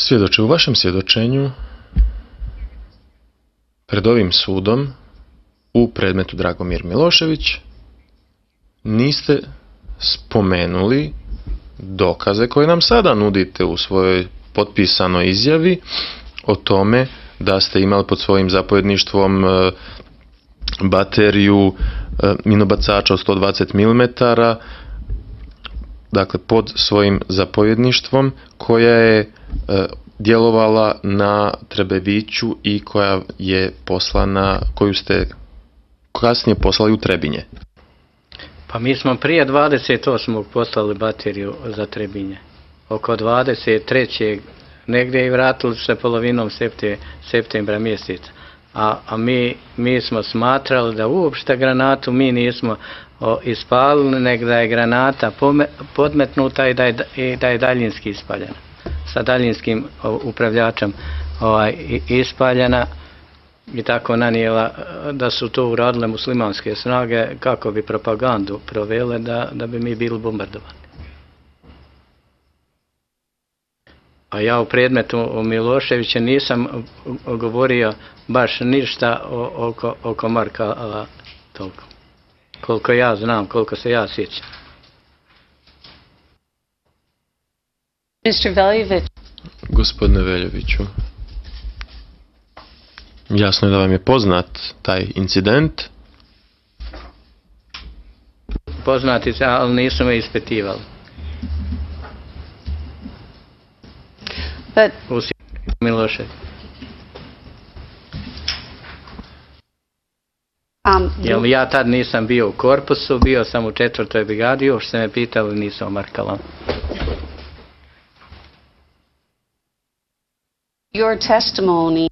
Svjedoče, u vašem svjedočenju pred ovim sudom u predmetu Dragomir Milošević niste spomenuli dokaze koje nam sada nudite u svojoj potpisanoj izjavi o tome da ste imali pod svojim zapovjedništvom bateriju minobacača od 120 mm, dakle pod svojim zapovjedništvom, koja je djelovala na Trebeviću i koja je poslana, koju ste kasnije poslali u Trebinje. Pa mi smo prije 28. poslali bateriju za Trebinje. Oko 23. negdje i vratili se polovinom septembra mjeseca. A mi smo smatrali da uopšte granatu mi nismo ispalili, nego da je granata podmetnuta i da je daljinski ispaljena. Sa daljinskim upravljačem ispaljena i tako nanijela da su to uradile muslimanske snage kako bi propagandu provele da bi mi bili bombardovani. A ja u predmetu Miloševića nisam govorio baš ništa oko Markala toliko. Koliko ja znam, koliko se ja sjećam. Mr. Veljović. Gospodine Veljoviću, jasno je da vam je poznat taj incident. Poznati se, ali nisu me ispitivali. U Milošević. Jer ja tad nisam bio u korpusu, bio sam u 4. brigadi, još se me pitali, nisam o Markala. Your testimony.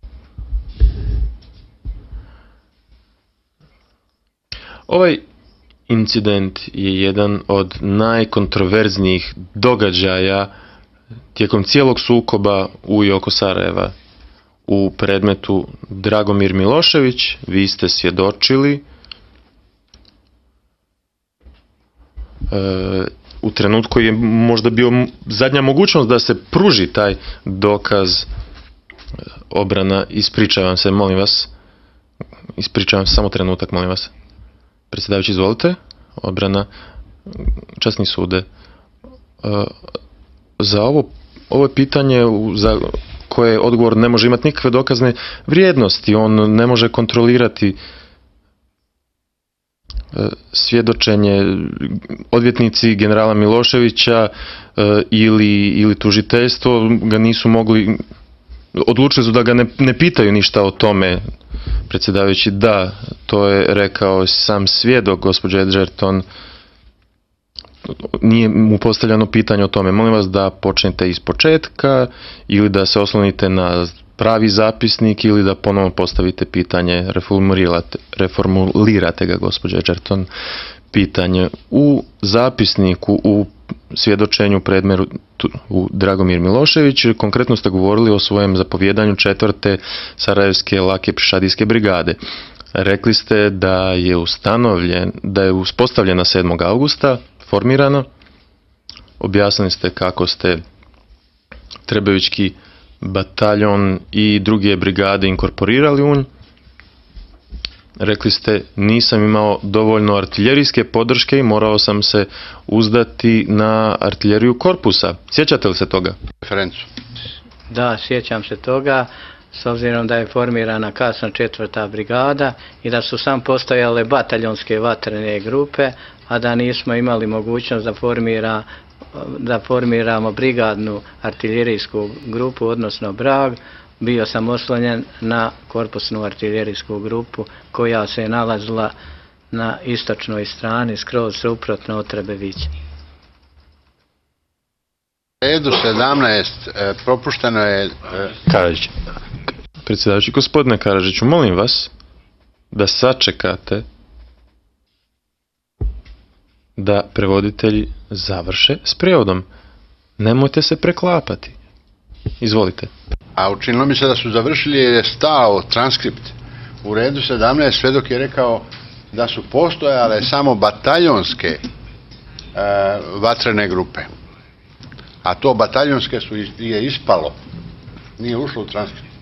Ovaj incident je jedan od najkontroverznijih događaja tijekom cijelog sukoba u i oko Sarajeva. U predmetu Dragomir Milošević vi ste svjedočili u trenutku koji je možda bio zadnja mogućnost da se pruži taj dokaz. Obrana, ispričavam se, molim vas. Ispričavam se, samo trenutak, molim vas. Predsjedavajući, izvolite. Obrana, časni sude. Za ovo pitanje za koje odgovor ne može imati nikakve dokazne vrijednosti, on ne može kontrolirati svjedočenje. Odvjetnici generala Miloševića ili tužiteljstvo ga nisu mogli, odlučili su da ga ne pitaju ništa o tome. Predsjedavajući, da, to je rekao sam svjedok, gospođa Edgerton, nije mu postavljeno pitanje o tome. Molim vas da počnete iz početka ili da se oslonite na pravi zapisnik ili da ponovno postavite pitanje, reformulirate ga, gospođa Edgerton, pitanje. U zapisniku, u svjedočenju predmetu Dragomir Milošević, konkretno ste govorili o svojem zapovjedanju 4. Sarajevske lake pješadijske brigade. Rekli ste da je uspostavljena 7. augusta, formirano. Objasnili ste kako ste Trebevićki bataljon i druge brigade inkorporirali u nj. Rekli ste, nisam imao dovoljno artiljerijske podrške i morao sam se uzdati na artiljeriju korpusa. Sjećate li se toga? Referencu. Da, sjećam se toga, s obzirom da je formirana kasno 4. brigada i da su sam postojale bataljonske vatrene grupe, a da nismo imali mogućnost da formiramo brigadnu artiljerijsku grupu, odnosno brag. Bio sam oslonjen na korpusnu artiljerijsku grupu koja se je nalazila na istočnoj strani, skroz suprotno od Trebevića. Redu 17 propušteno je... Karadžić. Predsjedavajući, gospodine Karadžiću, molim vas da sačekate da prevoditelji završe s prijevodom. Nemojte se preklapati. Izvolite. A učinilo mi se da su završili jer je stao transkript. U redu 17 svjedok je rekao da su postojale samo bataljonske vatrene grupe. A to bataljonske je ispalo Nije ušlo u transkript.